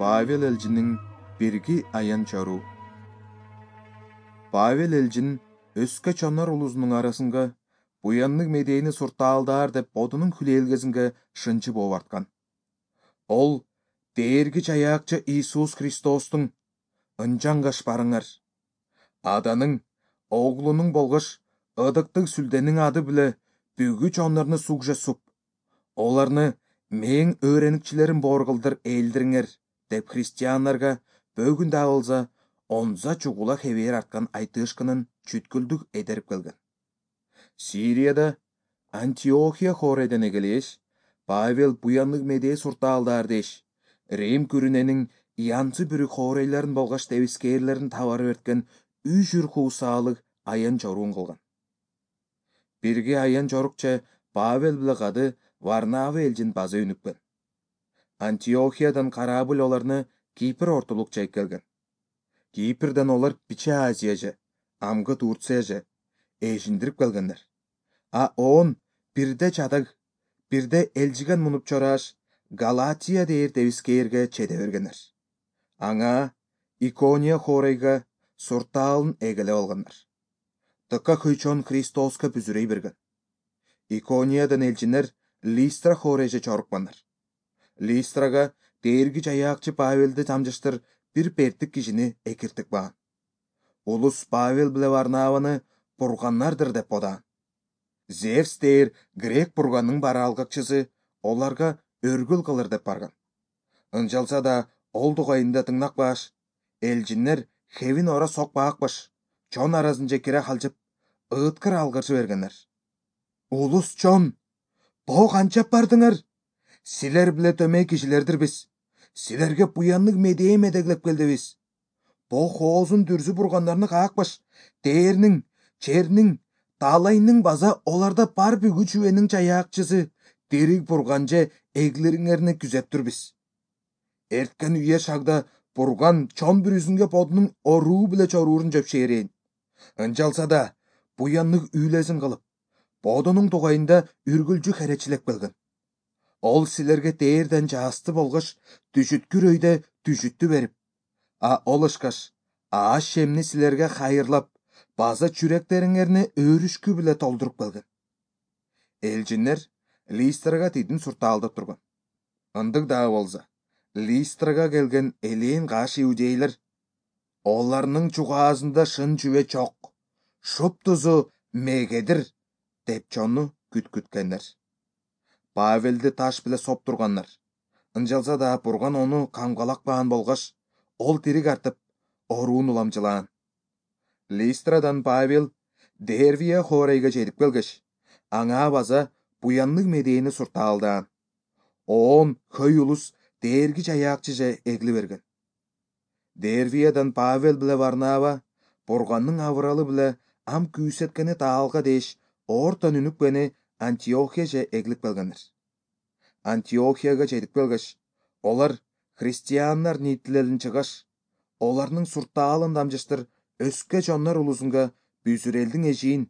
Павел элчинин бирги аян чаруу. Павел элчин өскө чонор улузунун арасынга буяннык медени суртаалдаар деп бодунун хүлээлгесинге шынчы болуп арткан. Ол дээрги жаякчы Иисус Христостун ынжаңгаш барыңар, Аданын, Оглунун болгош ыдыктык Сүлденин ады биле бүгү чонорну сугже суп, оларны мээң өөреникчилерим боор кылдыр ээлдириңер деп христиандарга бөгүн да болса онза чугула хебээр арткан айтышкынын чүткүлдүк эдерип келген. Сирияда Антиохия хорейден эгелеш Павел буяннык медээ суртаалдаар деш Рим күрүненин янчы бүрүк хорейлерин болгош тебискээрлерин табары берткен үжүр хуусаалык аян жоруун кылган. Бирге аян жорукча Павел биле кады Варнава элчин база үнүкпен. Антиохиядан корабль оларны Кипр ортолук чейip келген. Кипрден олар Бичи Азияже, амгы Турцияже эжиндирип келгендер. А он бирде чадаг, бирде элжиген мунуп чорааш Галатия дээр тебискээрге чеде бергенер. Аңа Икония хорейга суртаалын эгелеп алгандар. Тыка көйчөн Христоска бүзүрөй берген. Икониядан элчинер Листра хорейже чорукпандар. Листрага дээрги жаякчы Павелди тамжыштыр бир пердик кишини экиртик баан. Улус Павел биле Варнаваны бурганнардыр деп бодаан. Зевс дээр грек бурганын бараалгакчысы оларга өргүл кылыр деп барган. Ынчалса да ол дугайында тыңнакпаш, элчинер хевин ора сокпаакпаш, чон арасынча кире калжып, ыыткыр алгырчы бергенер. Улус чон, бо канчап бардыңар? Силер биле төмөй кишилердир биз. Силерге буяннык медээ медеглеп келдибиз. Бо хоозун дүрзү бургандарны каакпаш, дээрнин, чернин, таалайнын база оларда бар бүгү чүбенин жаякчысы, дирик бурганже эглириңерни күзөптүр биз. Эрткен үйе шагда бурган чон бүрүзүнгө бодунун оруу биле чоруурун жөпшээрейин. Ынчалса да буяннык үйлесин кылып, бодунун дугайында үргүлчү херечилеп келген. Ол силерге дээрден жаасты болгош түшүткүр өйдө түшүттү берип, ол ышкаш ааш шемни силерге хайырлап, база чүректериңерни өөрүшкү биле толдуруп келген. Элчинер Листрага тидин суртаалдап турган. Ындык дагы болса, Листрага келген элээн каш иудейлер оларнын чугаасында шын жүбө чок, шуп тузу мегедир деп чону күткүткенер. Павелди таш биле соп турганнар. Ынчалса да бурган ону камгалакпаан болгош, ол тирик артып, оруун уламжылаан. Листрадан Павел Дервия хорейге жетип келгеш, аңа база буяннык медээни суртаалдаан. Он хөй улус дээрги жаякчыже эгли берген. Дервиядан Павел биле Варнава бурганның авыралы биле ам күүсеткени таалга деш ортон үнүкпени Антиохияже эглип келгендер. Антиохияга жетип келгеш, олар христиандар нийтилелин чыгаш, оларнын суртаалын дамжыштыр өскө чоннор улусунга бүзүр элдин эжиин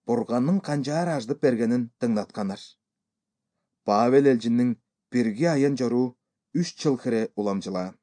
бурганның канчаар аждып бергенин тыңдатканар. Павел элчинин бирге аян жоруу 3 жыл хире уламжылаан.